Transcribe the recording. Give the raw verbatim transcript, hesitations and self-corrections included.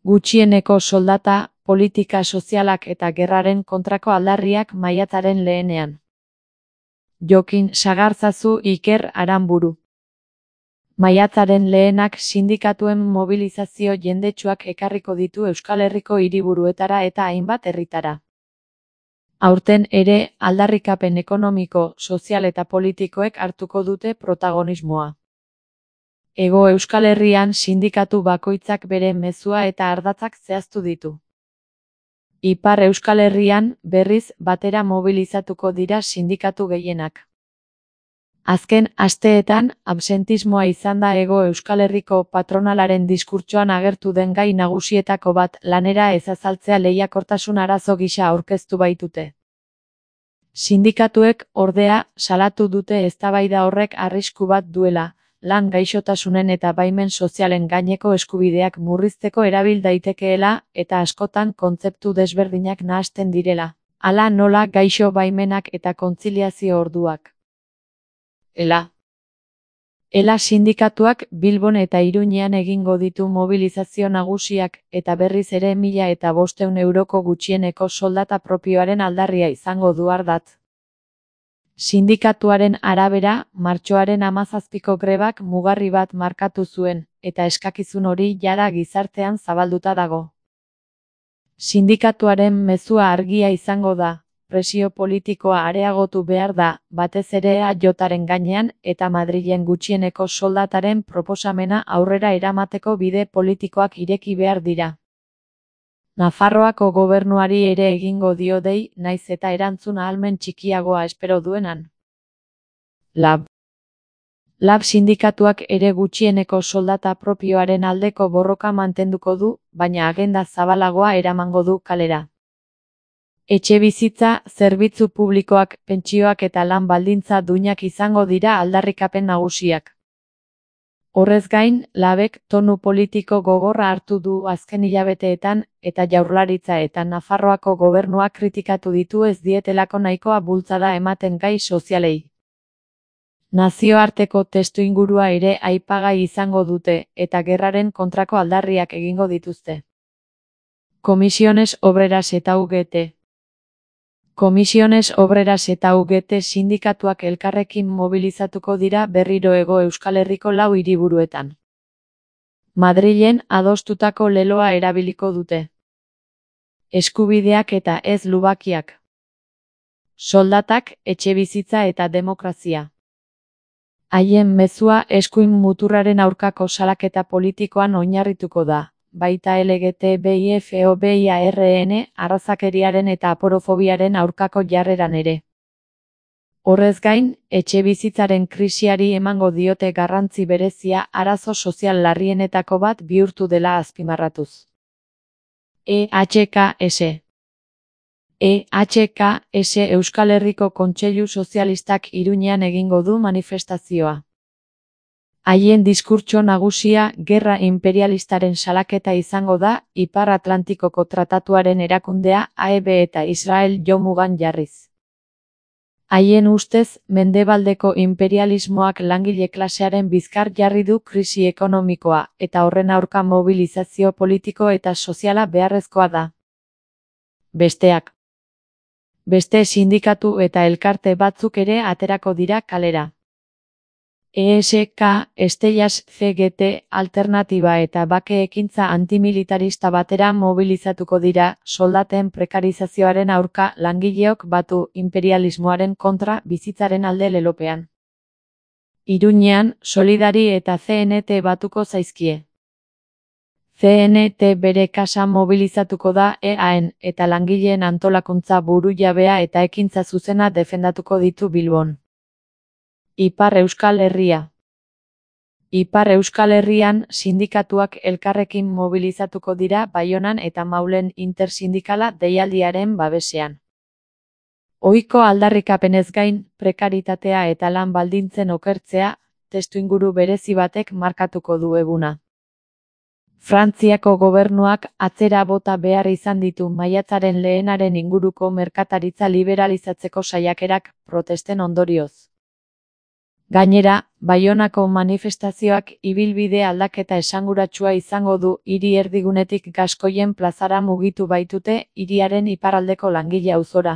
Gutxieneko soldata, politika sozialak eta gerraren kontrako aldarriak maiatzaren lehenean. Jokin Sagarzazu Iker Aranburu. Maiatzaren lehenak sindikatuen mobilizazio jendetsuak ekarriko ditu Euskal Herriko hiriburuetara eta hainbat herritara. Aurten ere, aldarrikapen ekonomiko, sozial eta politikoek hartuko dute protagonismoa. Hego Euskal Herrian sindikatu bakoitzak bere mezua eta ardatzak zehaztu ditu. Ipar Euskal Herrian, berriz, batera mobilizatuko dira sindikatu gehienak. Azken asteetan, absentismoa izan da Hego Euskal Herriko patronalaren diskurtsoan agertu den gai nagusietako bat lanera ez azaltzea lehiakortasun arazo gisa aurkeztu baitute. Sindikatuek, ordea, salatu dute eztabaida horrek arrisku bat duela, lan gaixotasunen eta baimen sozialen gaineko eskubideak murrizteko erabil daitekeela eta askotan kontzeptu desberdinak nahasten direla, hala nola gaixo baimenak eta kontziliazio orduak. Ela. Ela sindikatuak Bilbon eta Iruñean egingo ditu mobilizazio nagusiak eta berriz ere mila eta bostehun euroko gutxieneko soldata propioaren aldarria izango du ardatz. Sindikatuaren arabera, martxoaren hamazazpiko grebak mugarri bat markatu zuen, eta eskakizun hori jada gizartean zabalduta dago. Sindikatuaren mezua argia izango da, presio politikoa areagotu behar da, batez ere E A Jaren gainean eta Madrilen gutxieneko soldataren proposamena aurrera eramateko bide politikoak ireki behar dira. Nafarroako gobernuari ere egingo dio dei, naiz eta erantzun ahalmen txikiagoa espero duenan. Lab. Lab sindikatuak ere gutxieneko soldata propioaren aldeko borroka mantenduko du, baina agenda zabalagoa eramango du kalera. Etxebizitza, zerbitzu publikoak, pentsioak eta lan baldintza duinak izango dira aldarrikapen nagusiak. Horrez gain, Labek tonu politiko gogorra hartu du azken hilabeteetan eta Jaurlaritza eta Nafarroako gobernua kritikatu ditu ez dietelako nahikoa bultzada ematen gai sozialei. Nazioarteko testuingurua ere aipagai izango dute eta gerraren kontrako aldarriak egingo dituzte. Comisiones Obreras eta U G T. Comisiones Obreras eta U G T sindikatuak elkarrekin mobilizatuko dira berriro Hego Euskal Herriko lau hiriburuetan. Madrilen adostutako leloa erabiliko dute. Eskubideak eta ez lubakiak. Soldatak, etxebizitza eta demokrazia. Haien mezua eskuin muturraren aurkako salaketa politikoan oinarrituko da. Baita L G T B I F O B I A R N, arrazakeriaren eta aporofobiaren aurkako jarreran ere. Horrez gain, etxebizitzaren krisiari emango diote garrantzi berezia arazo sozial larrienetako bat bihurtu dela azpimarratuz. E H K S. E H K S Euskal Herriko Kontseilu Sozialistak Iruñean egingo du manifestazioa. Haien diskurtso nagusia gerra imperialistaren salaketa izango da, Ipar Atlantikoko Tratatuaren erakundea A E B eta Israel jomugan jarriz. Haien ustez, mendebaldeko imperialismoak langile klasearen bizkar jarri du krisi ekonomikoa, eta horren aurka mobilizazio politiko eta soziala beharrezkoa da. Besteak. Beste sindikatu eta elkarte batzuk ere aterako dira kalera. E S K, Estellas C G T, Alternatiba eta Bake Ekintza antimilitarista batera mobilizatuko dira, soldaten prekarizazioaren aurka langileok batu imperialismoaren kontra bizitzaren alde lelopean. Iruñean, Solidari eta C N T batuko zaizkie. C N T bere kasa mobilizatuko da E A N eta langileen antolakuntza burujabea eta ekintza zuzena defendatuko ditu Bilbon. Ipar Euskal Herria. Ipar Euskal Herrian sindikatuak elkarrekin mobilizatuko dira Baionan eta Maulen intersindikala deialdiaren babesean. Ohiko aldarrikapenez gain, prekaritatea eta lan baldintzen okertzea, testuinguru berezi batek markatuko du eguna. Frantziako gobernuak atzera bota behar izan ditu maiatzaren lehenaren inguruko merkataritza liberalizatzeko saiakerak protesten ondorioz. Gainera, Baionako manifestazioak ibilbide aldaketa esanguratsua izango du. Hiri erdigunetik Gaskoien plazara mugitu baitute hiriaren iparraldeko Langile auzora.